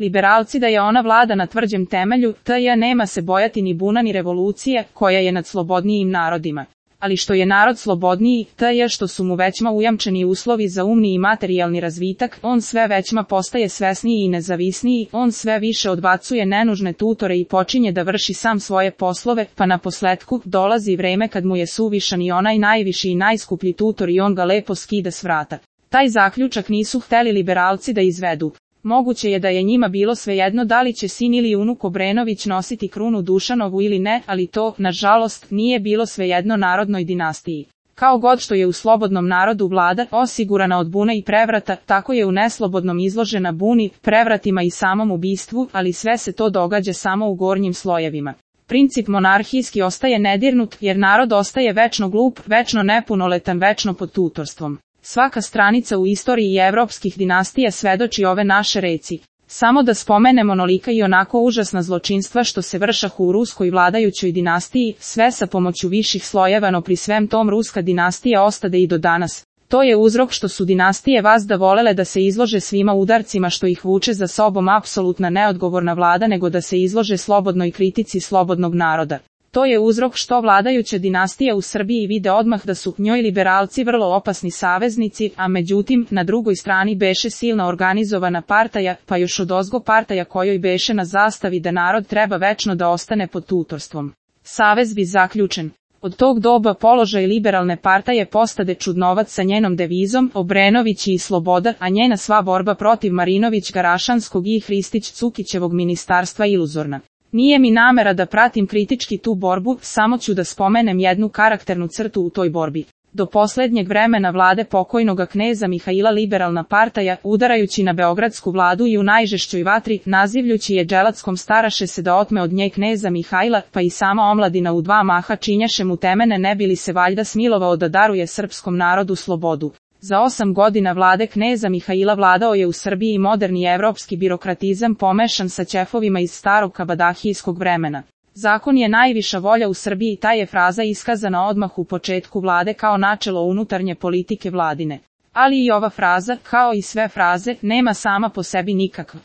Liberalci da je ona vlada na tvrđem temelju, TJ nema se bojati ni buna ni revolucije, koja je nad slobodnijim narodima. Ali što je narod slobodniji, TJ što su mu većma ujamčeni uslovi za umni i materijalni razvitak, on sve većma postaje svesniji i nezavisniji, on sve više odbacuje nenužne tutore i počinje da vrši sam svoje poslove, pa na posletku dolazi vreme kad mu je suvišan i onaj najviši i najskuplji tutor i on ga lepo skida s vrata. Taj zaključak nisu hteli liberalci da izvedu. Moguće je da je njima bilo svejedno da li će sin ili unuk Obrenović nositi krunu Dušanovu ili ne, ali to, nažalost, nije bilo svejedno narodnoj dinastiji. Kao god što je u slobodnom narodu vlada osigurana od bune i prevrata, tako je u neslobodnom izložena buni, prevratima i samom ubistvu, ali sve se to događa samo u gornjim slojevima. Princip monarhijski ostaje nedirnut, jer narod ostaje večno glup, večno nepunoletan, večno pod tutorstvom. Svaka stranica u istoriji evropskih dinastija svedoči ove naše reci. Samo da spomenemo onolika i onako užasna zločinstva što se vršahu u ruskoj vladajućoj dinastiji, sve sa pomoću viših slojeva, no pri svem tom ruska dinastija ostade i do danas. To je uzrok što su dinastije vazda volele da se izlože svima udarcima što ih vuče za sobom apsolutna neodgovorna vlada, nego da se izlože slobodnoj kritici slobodnog naroda. To je uzrok što vladajuća dinastija u Srbiji vide odmah da su njoj liberalci vrlo opasni saveznici, a međutim, na drugoj strani beše silna organizovana partaja, pa još odozgo partaja kojoj beše na zastavi da narod treba večno da ostane pod tutorstvom. Savez bi zaključen. Od tog doba položaj liberalne partaje postade čudnovac sa njenom devizom Obrenović i sloboda, a njena sva borba protiv Marinović-Garašanskog i Hristić-Cukićevog ministarstva iluzorna. Nije mi namera da pratim kritički tu borbu, samo ću da spomenem jednu karakternu crtu u toj borbi. Do poslednjeg vremena vlade pokojnoga kneza Mihaila liberalna partaja, udarajući na beogradsku vladu i u najžešćoj vatri, nazivljući je dželatskom staraše se da otme od nje kneza Mihajla, pa i sama omladina u dva maha činjaše mu temene ne bi li se valjda smilovao da daruje srpskom narodu slobodu. Za 8 godina vlade kneza Mihaila vladao je u Srbiji moderni evropski birokratizam pomešan sa ćefovima iz starog kabadahijskog vremena. Zakon je najviša volja u Srbiji, ta je fraza iskazana odmah u početku vlade kao načelo unutarnje politike vladine. Ali i ova fraza, kao i sve fraze, nema sama po sebi nikakv